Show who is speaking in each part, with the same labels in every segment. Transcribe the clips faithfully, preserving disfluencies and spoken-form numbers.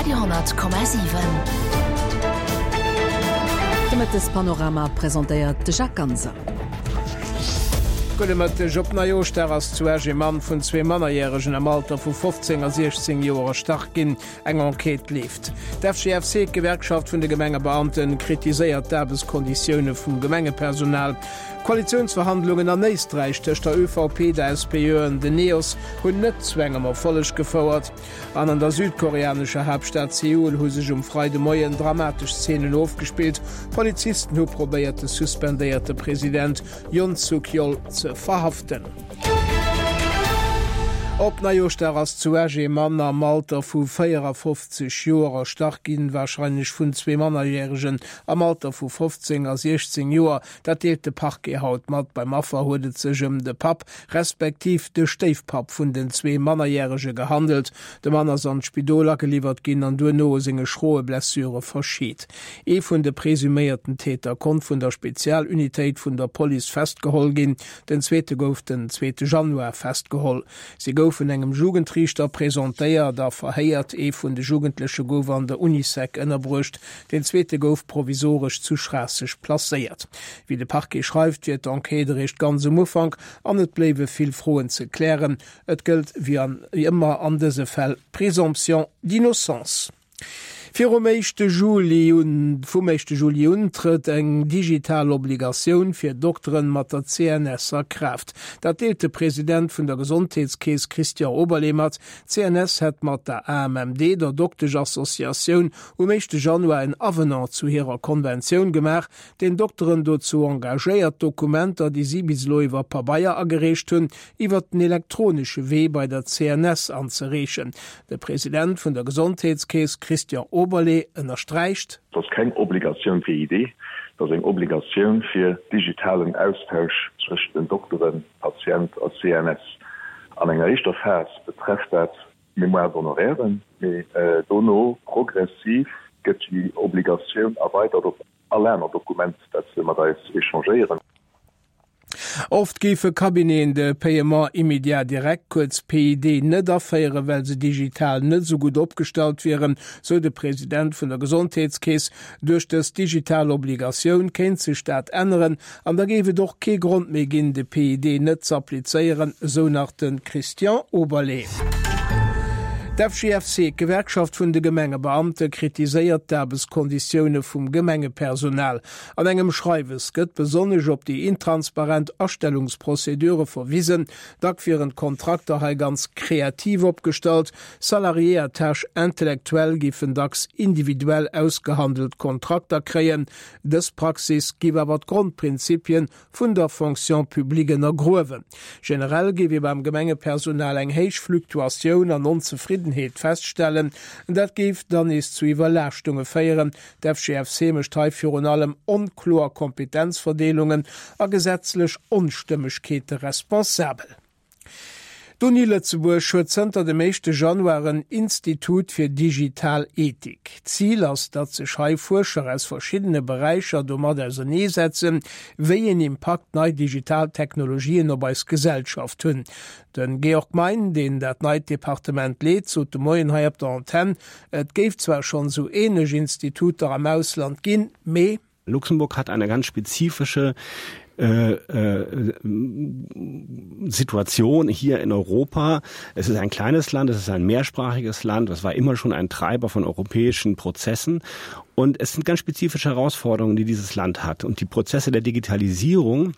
Speaker 1: Radio honnert Komma siwen.
Speaker 2: De Mëttespanorama presentéiert de Jacques Ganser.
Speaker 3: Gudde Mëtteg. Op Neijooschdag ass zu Esch ee Mann vun zwee Mannerjäregen am Alter vu fofzéng a siechzéng Joer erstach ginn. Eng Enquête leeft. D'F G F C, d'Gewerkschaft vun de Gemengebeamten, kritiséiert d'Aarbechtskonditioune vum Gemengepersonal. D'Koalitiounsverhandlungen an Éisträich tëscht der Ö V P, der S P Ö an den Neos hunn net zu engem Erfolleg gefouert. An an der südkoreanescher Haaptstad Seoul hu sech um Freidemoien dramatesch Zeenen ofgespillt. Polizisten hu probéiert de suspendéierte President Yoon Suk-yeol ze verhaften. Op Neijooschdag ass zu Esch ee Mann am Alter vu véierafofzeg Joer erstach ginn, warscheinlech vun zwee Mannerjäregen am Alter vu fofzéng a siechzéng Joer. Dat deelt de Parquet haut mat. Beim Affer huet et sech ëm de Papp respektiv de Stéifpapp vun den zwee Mannerjärege gehandelt. De Mann ass an d'Spidol ageliwwert ginn an duerno u senge schroe Blessure verscheet. Ee vun de presuméierten Täter konnt vun der Spezialunitéit vun der Police festgeholl ginn. Den zweete gouf den zweete Januar festgeholl. Si goufen engem Jugendriichter presentéiert a verhéiert. Ee vun de Jugendleche gouf an der Unisec ënnerbruecht, den zweete gouf provisoresch zu Schraasseg placéiert. Wéi de Parquet schreift, wier d'Enquête eréischt ganz um Ufank an et bléiwe vill Froen ze klären. Et gëllt wéi an ëmmer an dëse Fäll d'Présomption d'innocence. Virum éischte Juli un, vum éischte Juli un trëtt eng digital Obligatioun fir Dokteren mat der C N S a Kraaft. Dat deelt de President vun der Gesondheetskeess Christian Oberlé mat. D'C N S hätt mat der A M M D, der Dokteschassociatioun, um éischte Januar en Avenant zu hirer Konventioun gemaach, deen Dokteren dozou engagéiert, Dokumenter, déi si bis elo iwwer Pabeier agereecht hunn, iwwer den elektronesche Wee bei der C N S anzereechen. De President vun der Gesondheetskeess Christian Oberlé ënnersträicht:
Speaker 4: Dat ass keng Obligatioun fir I D, dat ass eng Obligatioun fir digitalen Austausch zwëschen den Dokteren, Patient a C N S. An enger éischter Phas betrefft dat Mémoire d'honorairen, mee dono progressiv gëtt déi Obligatioun erweidert op all aner Dokument, dat se mat eis échangéieren.
Speaker 3: Oft géife Cabineten de Paiement immédiat direct, kuerz P I D, net aféieren, well se digital net esou gutt opgestallt wieren, sou de President vun der Gesondheetskeess. Duerch dës digital Obligatioun kéint sech dat änneren an da géif et och kee Grond méi ginn, de P I D net ze applizéieren, sou nach de Christian Oberlé. D'F G F C, d'Gewerkschaft vun de Gemengebeamte, kritiséiert d'Aarbechtskonditioune vum Gemengepersonal. An engem Schreiwes gëtt besonnesch op déi intransparent Astellungsprozedure verwisen. Dack wieren d'Kontrakter hei ganz kreativ opgestallt. Salariés à tâche intellectuelle géifen dacks individuell ausgehandelt Kontrakter kréien. Dës Praxis géif awer d'Grondprinzipien vun der Fonction publique ënnergruewen. Generell géif ee beim Gemengepersonal eng héich Fluktuatioun an Onzefriddenheet feststellen. Dat géif dann nees zu Iwwerlaaschtunge féieren. D'F G F C mécht hei virun allem onkloer Kompetenzverdeelungen a gesetzlech Onstëmmegkeete responsabel. D'Uni Lëtzebuerg huet zënter dem éischte Januar en Institut fir digital Ethik. Zil ass, datt sech hei Fuerscher aus verschiddene Beräicher domat auserneesetzen, wéi een Impakt nei digital Technologien op eis Gesellschaft hunn. De Georg Mein, deen dat neit Departement leet, sot de Moien hei op der Antenn, et géif zwar schonn sou änlech Instituter am Ausland ginn, mee
Speaker 5: Luxemburg hat eine ganz spezifische äh, äh, Situation hier in Europa. Es ist ein kleines Land, es ist ein mehrsprachiges Land, es war immer schon ein Treiber von europäischen Prozessen und es sind ganz spezifische Herausforderungen, die dieses Land hat. Und die Prozesse der Digitalisierung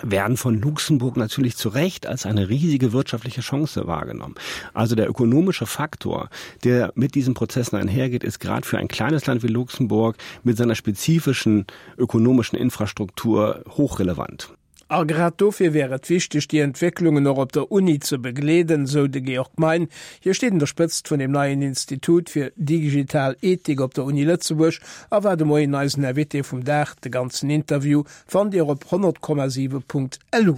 Speaker 5: werden von Luxemburg natürlich zu Recht als eine riesige wirtschaftliche Chance wahrgenommen. Also der ökonomische Faktor, der mit diesen Prozessen einhergeht, ist gerade für ein kleines Land wie Luxemburg mit seiner spezifischen ökonomischen Infrastruktur hochrelevant.
Speaker 3: A grad dofir wier et wichteg, déi Entwécklungen och op der Uni ze begleeden, sou de Georg Mein. Hie steet un der Spëtzt vun dem neien Institut fir digital Ethik op der Uni Lëtzebuerg a war de Moien eisen Invité vum Dag. De ganzen Interview fannt Dir op honnert Komma siwe Punkt lu.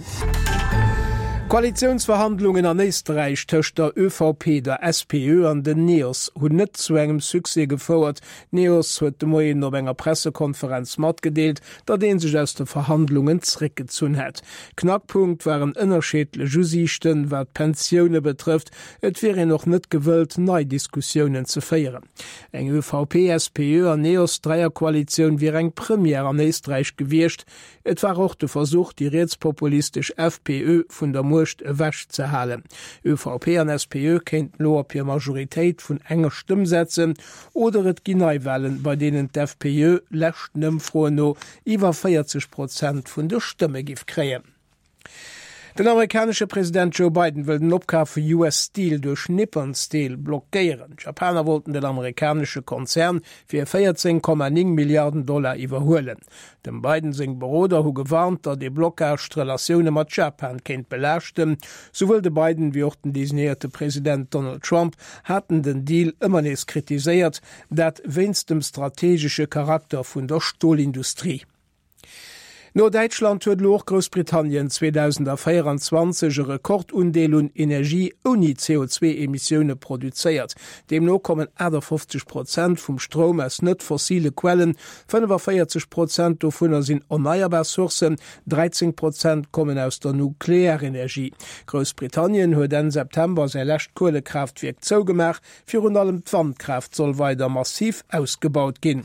Speaker 3: D'Koalitiounsverhandlungen an Éisträich tëscht der ÖVP, der SPÖ an den Neos hunn net zu engem Succès gefouert. D'Neos huet de Moien op enger Pressekonferenz matgedeelt, datt ee sech aus de Verhandlungen zréckgezunn hätt. Knackpunkt waren ënnerschiddlech Usiichten, wat d'Pensioune betrëfft. Et wier een och net gewëllt, nei Diskussiounen ze féieren. Eng ÖVP-SPÖ an Neos-Dräierkoalitioun wier eng Première an Éisträich gewiescht. Et war och de Versuch, déi rietspopulistesch FPÖ vun der Muecht ewech ze halen. ÖVP an SPÖ kéinten elo op hir Majoritéit vun enger Stëmm setzen oder et ginn Neiwalen, bei deenen d'FPÖ leschten Ëmfroen no iwwer véierzeg Prozent vun de Stëmme giff kréien. Den amerikanesche President Joe Biden wëll den Opkaf vu US Steel duerch Nippon Steel blockéieren. D'Japaner wollten den amerikanesche Konzern fir véierzéng Komma néng Milliarden Dollar iwwerhuelen. Dem Biden seng Beroder hu gewarnt, datt ee Blockage d'Relatioune mat Japan kéint belaaschten. Souwuel de Biden wéi och den designéierte President Donald Trump haten den Deal ëmmer nees kritiséiert, dat wéinst dem strategesche Charakter vun der Stolindustrie. No Däitschland huet elo och Groussbritannien zweedausendvéierenzwanzeg e Rekordundeel un Energie ouni C O zwee Emissioune produzéiert. Deemno kommen achtafofzeg Prozent vum Stroum aus net fossile Quellen, fënnefaféierzeg Prozent dovunner sinn erneierbar Sourcen, dräizéng Prozent kommen aus der Nuklearenergie. Groussbritannien huet Enn September säi lescht Kuelekraaftwierk zougemaach. Virun allem d'Wandkraaft soll weider massiv ausgebaut ginn.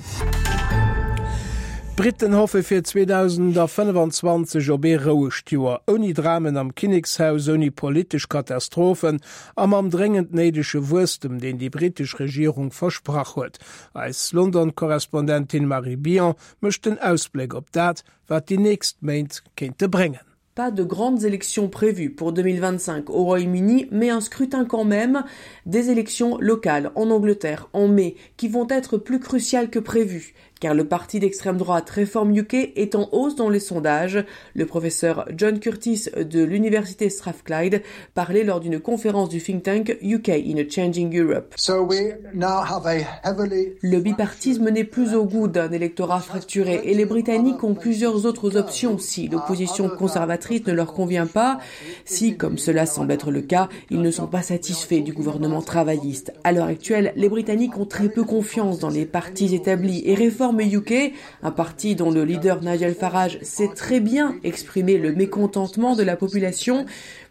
Speaker 3: D'Britten hoffe fir zweedausendfënnefenzwanzeg op ee rouegt Joer, ouni Dramen am Kinnekshaus, ouni politesch Katastrophen a mam dréngend néidege Wuesstem, deen déi brittesch Regierung versprach huet. Eis London-Korrespondentin Marie Billon mécht den Ausbléck op dat, wat déi nächst Méint kéinte bréngen.
Speaker 1: Pas de grandes élections prévues pour deux mille vingt-cinq au Royaume-Uni, mais un scrutin quand même, des élections locales en Angleterre en mai, qui vont être plus cruciales que prévu, car le parti d'extrême droite Reform U K est en hausse dans les sondages. Le professeur John Curtice de l'université Strathclyde parlait lors d'une conférence du think tank U K in a Changing Europe.
Speaker 6: So we now have a heavily
Speaker 1: Le bipartisme n'est plus au goût d'un électorat fracturé et les Britanniques ont plusieurs autres options si l'opposition conservatrice ne leur convient pas, si, comme cela semble être le cas, ils ne sont pas satisfaits du gouvernement travailliste. À l'heure actuelle, les Britanniques ont très peu confiance dans les partis établis et Reform U K, un parti dont le leader Nigel Farage sait très bien exprimer le mécontentement de la population,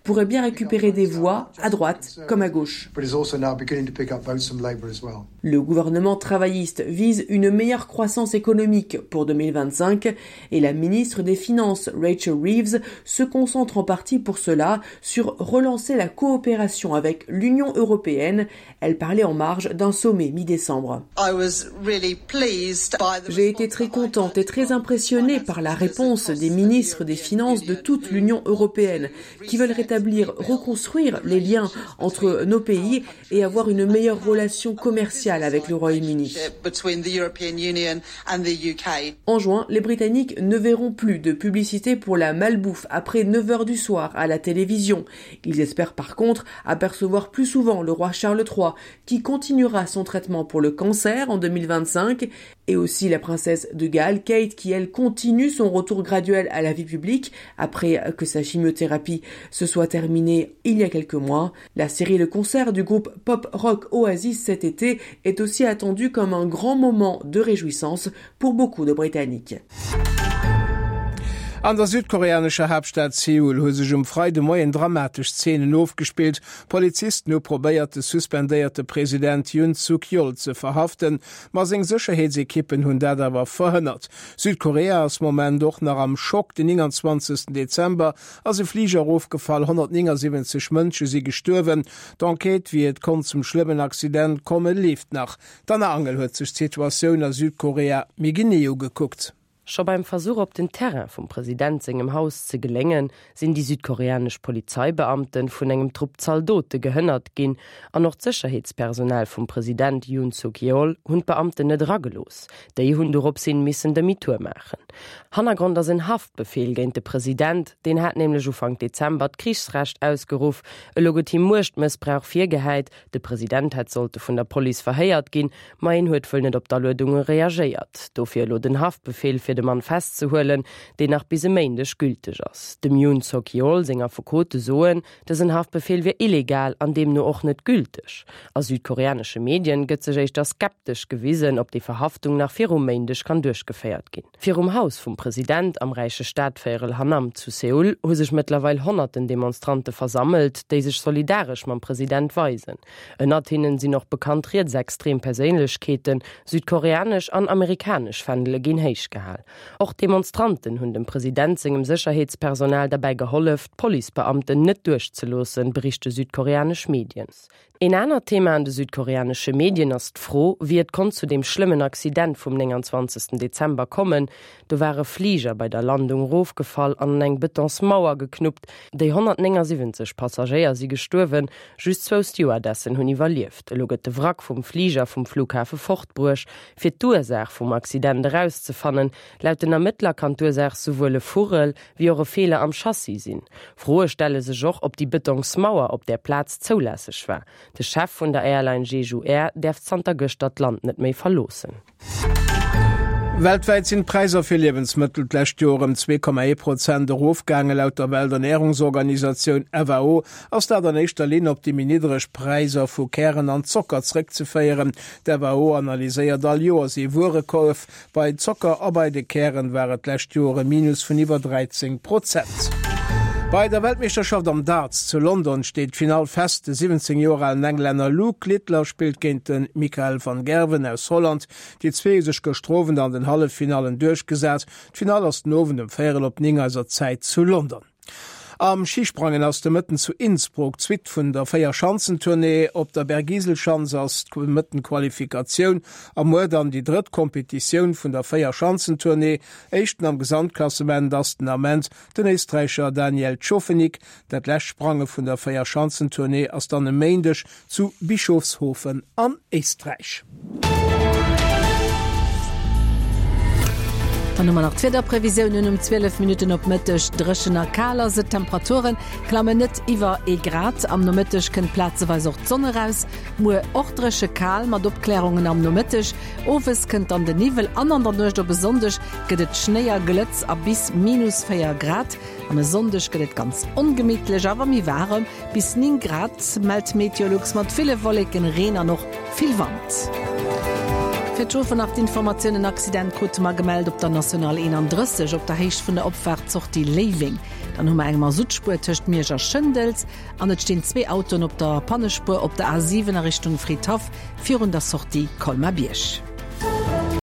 Speaker 1: pourrait bien récupérer des voix à droite comme à gauche.
Speaker 6: But is also now beginning to pick up votes from Labour as well.
Speaker 1: Le gouvernement travailliste vise une meilleure croissance économique pour deux mille vingt-cinq et la ministre des Finances, Rachel Reeves, se concentre en partie pour cela sur relancer la coopération avec l'Union européenne. Elle parlait en marge d'un sommet mi-décembre.
Speaker 7: I was really pleased by the
Speaker 1: J'ai été très contente et très impressionnée par la réponse des ministres des Finances de toute l'Union européenne qui veulent rétablir, reconstruire les liens entre nos pays et avoir une meilleure relation commerciale avec le Royaume-Uni.
Speaker 7: Between the European Union and the U K.
Speaker 1: En juin, les Britanniques ne verront plus de publicité pour la malbouffe après neuf heures du soir à la télévision. Ils espèrent par contre apercevoir plus souvent le roi Charles trois qui continuera son traitement pour le cancer en deux mille vingt-cinq et aussi la princesse de Galles, Kate, qui elle continue son retour graduel à la vie publique après que sa chimiothérapie se soit terminée il y a quelques mois. La série Le Concert du groupe pop rock Oasis cet été est aussi attendue comme un grand moment de réjouissance pour beaucoup de Britanniques.
Speaker 3: An der südkoreanescher Haaptstad Seoul hu sech um Freidemoien dramatesch Zeenen ofgespillt. Polizisten hu probéiert, de suspendéierte President Yoon Suk-yeol ze verhaften, ma seng Sécherheetsekippen hunn dat awer verhënnert. Südkorea ass Moment och nach am Schock. Den neunundzwanzigsten Dezember ass e Fliger erofgefall, honnertneunundsiebzig Mënsche si gestuerwen. D'Enquête, wéi et konnt zum schlëmmen Accident komme, leeft nach. D'Anna Angel huet sech d'Situatioun a Südkorea méi genee ugekuckt.
Speaker 8: Scho beim Versuch op den Terrain vum President sengem Haus ze geléngen, sinn déi südkoreanesch Polizeibeamten vun engem Trupp Zaldote gehënnert ginn an och d'Sécherheetspersonal vum President Yoon Suk-yeol hunn d'Beamten net eragelooss. Déi hunn dorops hin missen Demi-tour maachen. Hannergrond ass en Haftbefehl géint de President, deen hat nämlech Ufank Dezember d'Krichsrecht ausgeruff, elo gëtt him Muechtmëssbrauch virgehäit, de President hätt sollte vun der Police verhéiert ginn, ma en huet wuel net op d'Aluedunge reagéiert. Dofir elo den Haftbefehl fir fir de Mann festzehuelen, deen nach bis e Méindeg gülteg ass. Dem Yoon Suk Yeol seng Affekote soen, dësen Haftbefeel wier illegal an deemno och net gülteg. A südkoreanesche Medien gëtt sech éischter skeptesch gewisen, ob déi Verhaftung nach virum Méindeg kann duerchgeféiert ginn. Virum Haus vum President am räiche Stadvéierel Hannam zu Seoul hu sech mëttlerweil honnerten Demonstrante versammelt, déi sech solidaresch mam President weisen. Ënnert hinnen sinn och bekannt rietsextrem Perséinlechkeeten, südkoreanesch an amerikanesch Fändele ginn héich gehal. Och d'Demonstranten hunn dem President sengem Sécherheetspersonal derbäi gehollef, d'Policebeamten net duerchzeloossen, berichte südkoreanesch Medien. Een anert Thema an de südkoreanesche Medien ass d'Fro, wéi et konnt zu deem schlëmmen Accident vum nénganzwanzegsten Dezember kommen. Do war e Fliger bei der Landung erofgefall an an eng Betonsmauer geknuppt. Déi honnertnéngasiwwenzeg Passagéier si gestuerwen, just zwou Stewardessen hunn iwwerlieft. Elo gëtt de Wrack vum Fliger vum Flughafe fortbruecht, fir d'Ursaach vum Accident erauszefannen. Laut den Ermëttler kann d'Ursaach souwuel e Vugel wéi och e Feeler am Chassis sinn. Froe stelle sech och, ob déi Betonsmauer op där Plaz zoulässeg war. De Chef vun der Airline Jeju Air däerf zanter gëschter d'Land net méi verloossen.
Speaker 3: Weltwäit sinn d'Präisser fir Liewensmëttel d'lescht Joer ëm zwee Komma ee Prozent erofgaangen. Laut der Welternärungsorganisatioun FAO ass dat an éischter Linn op déi méi niddreg Präisser vu Kären an Zocker zréckzeféieren. D'FAO analyséiert all Joers ee Wuerekorf. Bei Zocker a bei de Kären war et d'lescht Joer e Minus vun iwwer dräizéng Prozent. Bei der Weltmeeschterschaft am Darts zu London steet d'Finall fest. De siwwenzéng Joer alen Englänner Luke Littler spillt géint de Michael van Gerwen aus Holland. Déi zwee hu sech gëschter Owend an den Halleffinallen duerchgesat. D'Finall ass den Owend um véierel op néng eiser Zäit zu London. Am Schisprangen ass de Mëtten zu Innsbruck d'Suite vun der Véierschanzentournée. Op der Bergiselschanz ass de Mëtten d'Qualifikatioun a muer dann déi drëtt Kompetitioun vun der Véierschanzentournée. Éischten am Gesamtklassement ass den Ament den Éisträicher Daniel Tschofenig. Dat lescht Sprange vun der Véierschanzentournée ass dann e Méindeg zu Bischofshofen an Éisträich.
Speaker 2: Dann hu mer nach d'Wiederprevisiounen um zwielef Minutten op Mëtteg. Dréchen a kal ass et, d'Temperature klammen net iwwer ee Grad. Am Nomëtteg kënnt plazeweis och d'Sonn eraus. Muer och dréche kal mat Opklärungen am Nomëtteg. Owes kënnt dann de Niwwel an an der Nuecht op e Sonndeg gëtt et Schnéi a Glëtz a bis minus véier Grad. An e Sonndeg gëtt et ganz ongemittlech, awer méi waarem, bis néng Grad, mellt Meteolux, mat ville Wolleken, Reen an och vill Wand. Fir d'Chauffer nach d'Informatioun, En Accident krute mer gemellt op der National eenandrësseg op der Héicht vun der Opfaart Sortie Léiweng. Dann hu mer eng Masuttspuer tëscht Miersch a Schëndels an et stinn zwee Autoen op der Pannespuer op der A siwen a Richtung Fridhaff virun der Sortie Colmar-Bierg.